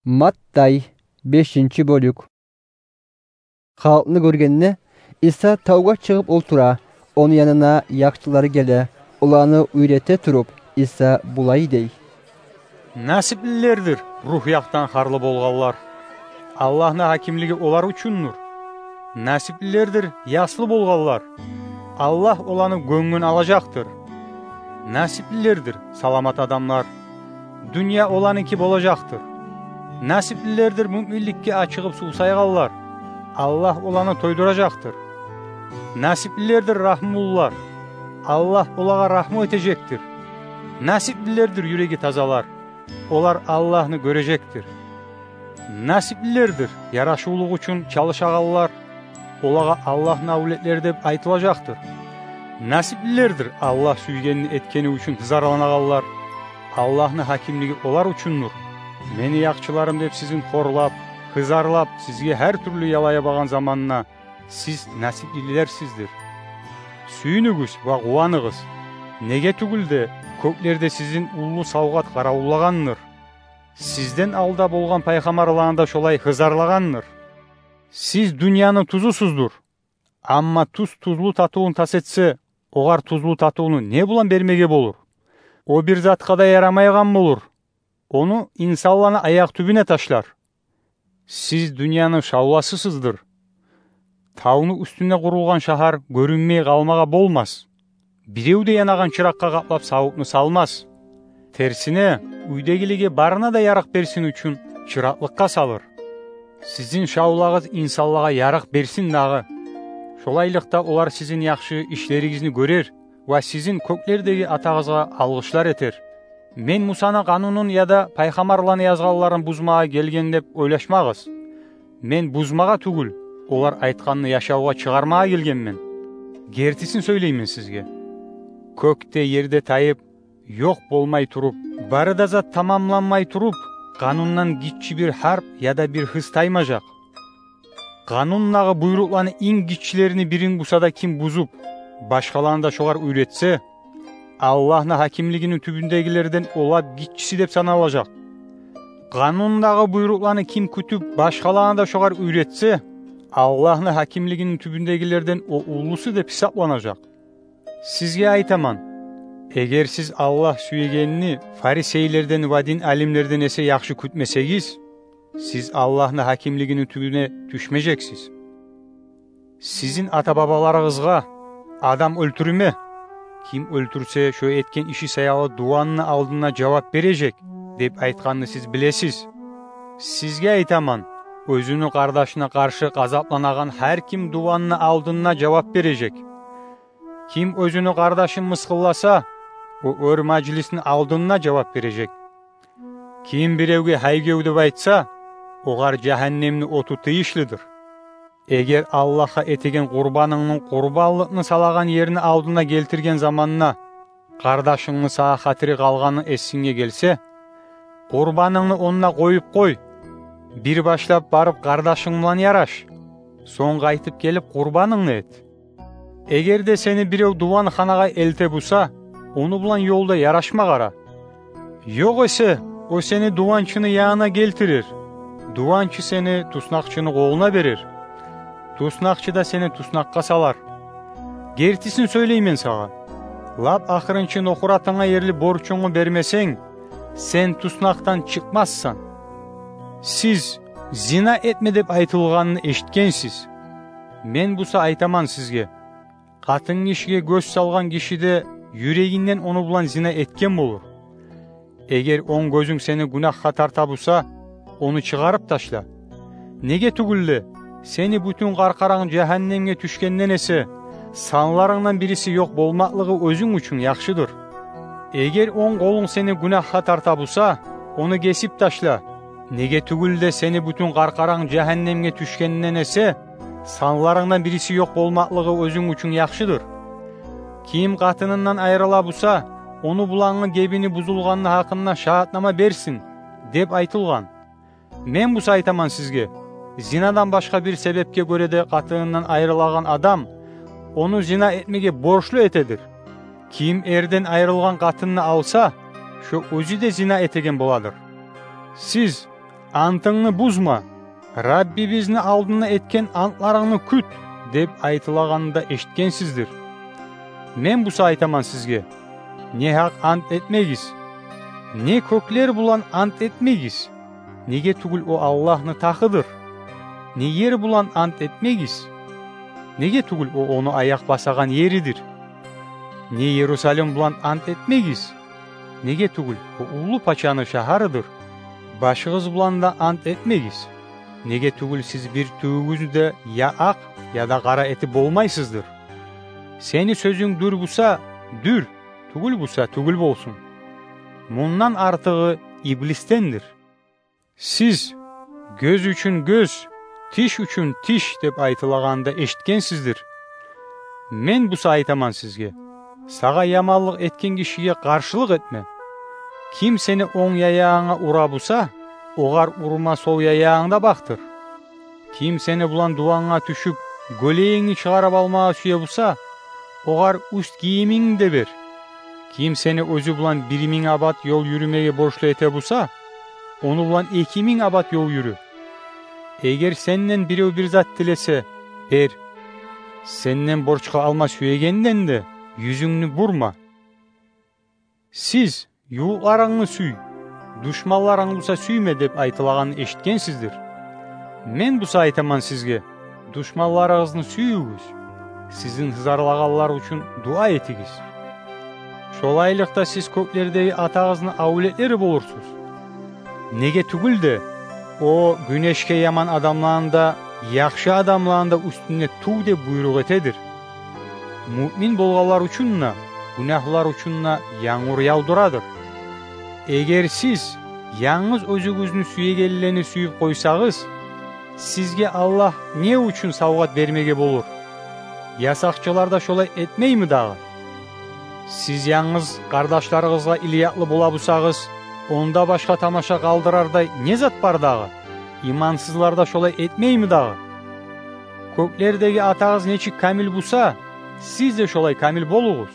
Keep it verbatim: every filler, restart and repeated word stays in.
Маттай, бешинчи бёлюк. Халкъны гёргенде, Иса тавгъа чыгъып олтура, ону янына якъчылары геле, оланы уьйрете туруп, Иса булай дей: «Насиплилердир рух якъдан харлы болгъанлар. Аллагьны гьакимлиги олар учундур. Насиплилердир яслы болгъанлар. Аллагь оланы гёнгюн алажакъдыр. Насиплилердир саламат адамлар. Дюнья оланыки болажакъдыр. Насиплилердир муъминликге ачыгъып сувсайгъанлар. Аллагь оланы тойдуражакъдыр. Насиплилердир рагьмулулар. Аллагь олагъа рагьму этежекдир. Насиплилердир юреги тазалар. Олар Аллагьны гёрежекдир. Насиплилердир ярашывлукъ учун чалышагъанлар. Олагъа Аллагьны авлетлери деп айтылажакъдыр. Насиплилердир Аллагь сюйгенни этгени учун гьызарланагъанлар. Аллагьны гьакимлиги олар учундур. Мени якъчыларым деп сизин хорлап, гьызарлап, сизге гьар тюрлю яла ябагъан заманда, сиз насиплилерсиздир. Сююнюгюз ва къуваныгъыз. Неге тюгюл де, кёклерде сизин уллу савгъат къаравуллагъандыр. Сизден алда болгъан пайхаммарланы да шолай гьызарлагъандыр. Сиз дюньяны тузусуздур. Амма туз тузлу татывун тас этсе, огъар тузлу татывну не булан бермеге болур? О бир затгъа да ярамайгъан болур. Ону инсанланы аякъ тюбюне ташлар. Сиз дюньяны шавласысыздыр. Тавну уьстюнде къурулгъан шагьар гёрюнмей къалмагъа болмас. Бирев де янагъан чыракъгъа къаплап савутну салмас. Терсине, уьйдегилеге барына да ярыкъ берсин учун чыракълыкъгъа салыр. Сизин шавлагъыз инсанлагъа ярыкъ берсин дагъы. Шолайлыкъда олар сизин яхшы ишлеригизни гёрер ва сизин кёклердеги Атагъызгъа алгъышлар этер. Мен Мусаны къанунун яда пайхаммарланы язгъанларын бузмагъа гелген деп ойлашмагъыз. Мен бузмагъа тюгюл, олар айтгъанны яшавгъа чыгъармагъа гелгенмен. Гертисин сёйлеймен сизге. Кёк де, ер де тайып, ёкъ болмай туруп, бары да зат тамамланмай туруп, къанундан гиччи бир гьарп яда бир гьыз таймажакъ. Къанундагъы буйрукъланы инг гиччилерини бирин буса да ким бузуп, башгъаланы да шогъар уьйретсе, Аллагьны гьакимлигини тюбюндегилерден о лап гиччиси деп саналажакъ. Къанундагъы буйрукъланы ким кютюп, башгъаланы да шогъар уьйретсе, Аллагьны гьакимлигини тюбюндегилерден о уллусу деп гьисапланажакъ. Сизге айтаман, эгер сиз Аллагь сюегенни фарисейлерден ва дин алимлерден эсе яхшы кютмесегиз, сиз Аллагьны гьакимлигини тюбюне тюшмежексиз. Сизин ата-бабаларыгъызгъа: «Адам оьлтюрме. Ким оьлтюрсе, шо этген иши саялы дуванны алдында жавап бережек», – деп айтгъанны сиз билесиз. Сизге айтаман, оьзюню къардашына къаршы къазапланагъан гьар ким дуванны алдында жавап бережек. Ким оьзюню къардашын мысгъылласа, о оьр мажлисни алдында жавап бережек. Ким биревге гьайгев деп айтса, огъар жагьаннемни оту тийишлидир. Эгер Аллагьгъа этеген къурбанынгны къурбанлыкъны салагъан ерни алдына гелтирген заманда къардашынгны сагъа хатири къалгъаны эсинге гелсе, къурбанынгны онда къоюп къой. Бир башлап барып къардашынг булан яраш. Сонг къайтып гелип къурбанынгны эт. Эгер де сени бирев дуванханагъа элте буса, ону булан ёлда ярашма къара. Ёгъесе о сени дуванчыны янына гелтирер. Дуванчы сени туснакъчыны къолуна берер. Туснакъчы да сени туснакъгъа салар. Гертисин сёйлеймен сагъа: лап ахырынчы нохратынга ерли борчунгну бермесенг, сен туснакъдан чыкъмассан. Сиз зина этме деп айтылгъанны эшитгенсиз. Мен буса айтаман сизге: къатынгишиге гёз салгъан гиши де юрегинден ону булан зина этген болур. Эгер онг гёзюнг сени гюнагьгъа тарта буса, ону чыгъарып ташла. Неге тюгюл де, сени бютюн къаркъаранг жагьаннемге тюшгенден эсе, санларынгдан бириси ёкъ болмакълыгъы оьзюнг учун яхшыдыр. Эгер онг къолунг сени гюнагьгъа тарта буса, ону гесип ташла. Неге тюгюл де, сени бютюн къаркъаранг жагьаннемге тюшгенден эсе, санларынгдан бириси ёкъ болмакълыгъы оьзюнг учун яхшыдыр. Ким къатынындан айрыла буса, ону булангъы гебини бузулгъанны гьакъында шагьатнама берсин, деп айтылгъан. Мен буса айтаман сизге: зинадан башгъа бир себепге гёре де къатынындан айрылагъан адам ону зина этмеге борчлу этедир. Ким эрден айрылгъан къатынны алса, шо оьзю де зина этеген боладыр. Сиз «Антынгны бузма, Раббибизни алдында этген антларынгны кют» деп айтылагъанны да эшитгенсиздир. Мен буса айтаман сизге: не гьакъ ант этмегиз. Не кёклер булан ант этмегиз, неге тюгюл о Аллагьны тахыдыр. Не ер булан ант этмегиз, неге тюгюл о ону аякъ басагъан еридир. Не Иерусалим булан ант этмегиз, неге тюгюл о уллу пачаны шагьарыдыр. Башыгъыз булан да ант этмегиз, неге тюгюл сиз бир тюгюгюзню де я акъ, я да къара этип болмайсыздыр. Сени сёзюнг дюр буса, дюр, тюгюл буса, тюгюл болсун. Мундан артыгъы иблисдендир. Сиз: «Гёз учун гёз, тиш учун тиш» деп айтылагъанны да эшитгенсиздир. Мен буса айтаман сизге: сагъа яманлыкъ этген гишиге къаршылыкъ этме. Ким сени онг яягъынга ура буса, огъар урма сол яягъынгны да бакътыр. Ким сени булан дуванга тюшюп, гёлегингни чыгъарып алмагъа сюе буса, огъар уьст гийимингни де бер. Ким сени оьзю булан бир минг абат ёл юрюмеге борчлу эте буса, ону булан эки минг абат ёл юрю. Эгер сенден бирев бир зат тилесе, бер. Сенден борчгъа алма сюегенден де юзюнгню бурма. Сиз: «Ювукъларынгны сюй, душманларынгны буса сюйме» деп айтылагъанны эшитгенсиздир. Мен буса айтаман сизге: душманларыгъызны сююгюз, сизин гьызарлагъанлар учун дуа этигиз. Шолайлыкъда сиз кёклердеги Атагъызны авлетлери болурсуз. Неге тюгюл де о гюнешге яман адамланы да, яхшы адамланы да уьстюне тув деп буйрукъ этедир. Муъмин болгъанлар учун да, гюнагьлылар учун да янгур явдурадыр. Эгер сиз янгыз оьзюгюзню сюегенлени сююп къойсагъыз, сизге Аллагь не учун савгъат бермеге болур? Ясакъчылар да шолай этмейми дагъы? Сиз янгыз къардашларыгъызгъа илиякълы бола бусагъыз, онда башгъа тамаша къалдырардай не зат бар дагъы? Имансызлар да шолай этмейми дагъы? Кёклердеги Атагъыз нечик камил буса, сиз де шолай камил болугъуз.